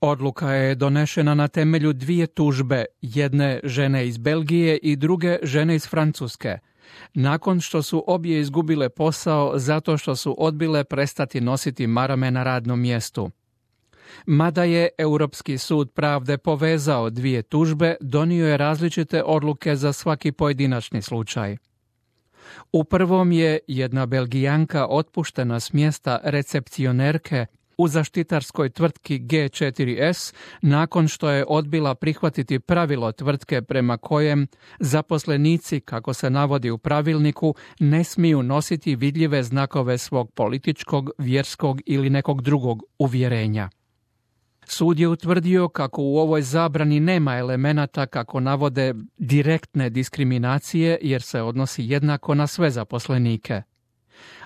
Odluka je donešena na temelju dvije tužbe, jedne žene iz Belgije i druge žene iz Francuske, nakon što su obje izgubile posao zato što su odbile prestati nositi marame na radnom mjestu. Mada je Europski sud pravde povezao dvije tužbe, donio je različite odluke za svaki pojedinačni slučaj. U prvom je jedna Belgijanka otpuštena s mjesta recepcionerke u zaštitarskoj tvrtki G4S nakon što je odbila prihvatiti pravilo tvrtke prema kojem zaposlenici, kako se navodi u pravilniku, ne smiju nositi vidljive znakove svog političkog, vjerskog ili nekog drugog uvjerenja. Sud je utvrdio kako u ovoj zabrani nema elemenata, kako navode, direktne diskriminacije jer se odnosi jednako na sve zaposlenike.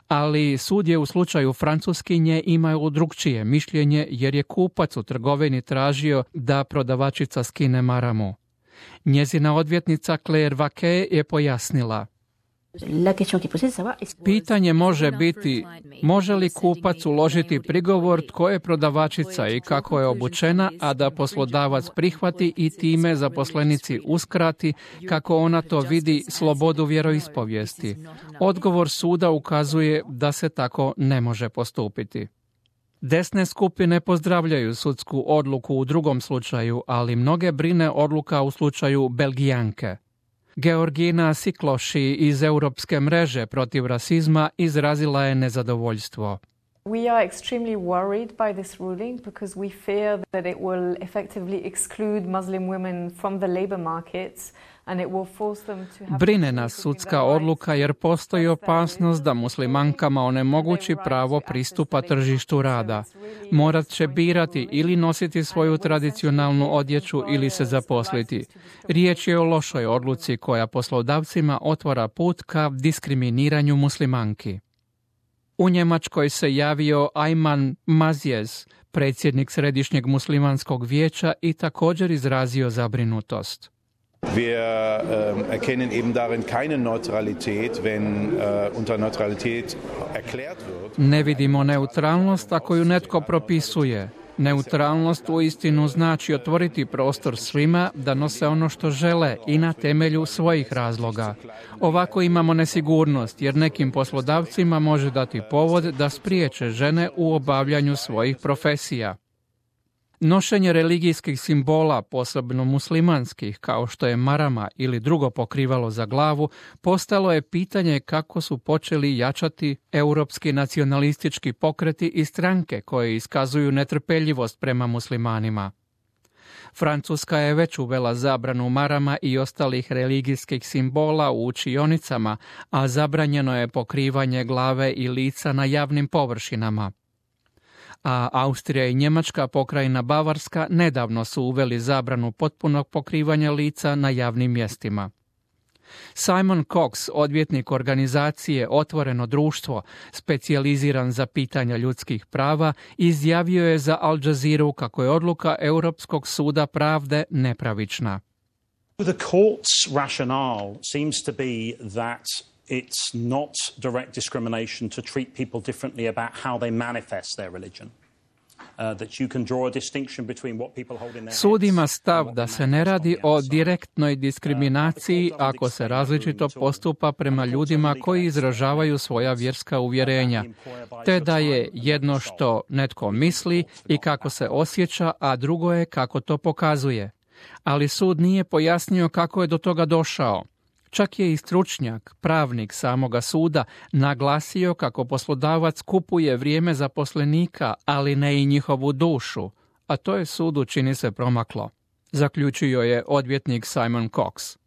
Ali sud je u slučaju Francuskinje imao drukčije mišljenje jer je kupac u trgovini tražio da prodavačica skine maramu. Njezina odvjetnica Claire Vaquet je pojasnila: pitanje može biti, može li kupac uložiti prigovor tko je prodavačica i kako je obučena, a da poslodavac prihvati i time zaposlenici uskrati, kako ona to vidi, slobodu vjeroispovijesti. Odgovor suda ukazuje da se tako ne može postupiti. Desne skupine pozdravljaju sudsku odluku u drugom slučaju, ali mnoge brine odluka u slučaju Belgijanke. Georgina Sikloši iz Europske mreže protiv rasizma izrazila je nezadovoljstvo. We are extremely worried by this ruling because we fear that it will effectively exclude Muslim women from the labor markets and it will force them to have... Brine nas sudska odluka jer postoji opasnost da muslimankama onemogući pravo pristupa tržištu rada. Morat će birati ili nositi svoju tradicionalnu odjeću ili se zaposliti. Riječ je o lošoj odluci koja poslodavcima otvara put ka diskriminiranju muslimanki. U Njemačkoj se javio Ayman Mazjez, predsjednik Središnjeg muslimanskog vijeća, i također izrazio zabrinutost. Wir erkennen eben darin keine Neutralität, wenn unter Neutralität erklärt wird. Ne vidimo neutralnost ako ju netko propisuje. Neutralnost uistinu znači otvoriti prostor svima da nose ono što žele i na temelju svojih razloga. Ovako imamo nesigurnost jer nekim poslodavcima može dati povod da spriječe žene u obavljanju svojih profesija. Nošenje religijskih simbola, posebno muslimanskih, kao što je marama ili drugo pokrivalo za glavu, postalo je pitanje kako su počeli jačati europski nacionalistički pokreti i stranke koje iskazuju netrpeljivost prema muslimanima. Francuska je već uvela zabranu marama i ostalih religijskih simbola u učionicama, a zabranjeno je pokrivanje glave i lica na javnim površinama. A Austrija i Njemačka pokrajina Bavarska nedavno su uveli zabranu potpunog pokrivanja lica na javnim mjestima. Simon Cox, odvjetnik organizacije Otvoreno društvo, specijaliziran za pitanja ljudskih prava, izjavio je za Al Jazeera kako je odluka Europskog suda pravde nepravična. The court's rationale seems to be that it's not direct discrimination to treat people differently about how they manifest their religion. That you can draw a distinction between what people hold in their heads. Sud ima stav da se ne radi o direktnoj diskriminaciji ako se različito postupa prema ljudima koji izražavaju svoja vjerska uvjerenja, te da je jedno što netko misli i kako se osjeća, a drugo je kako to pokazuje. Ali sud nije pojasnio kako je do toga došao. Čak je i stručnjak, pravnik samoga suda, naglasio kako poslodavac kupuje vrijeme zaposlenika, ali ne i njihovu dušu, a to je sudu čini se promaklo, zaključio je odvjetnik Simon Cox.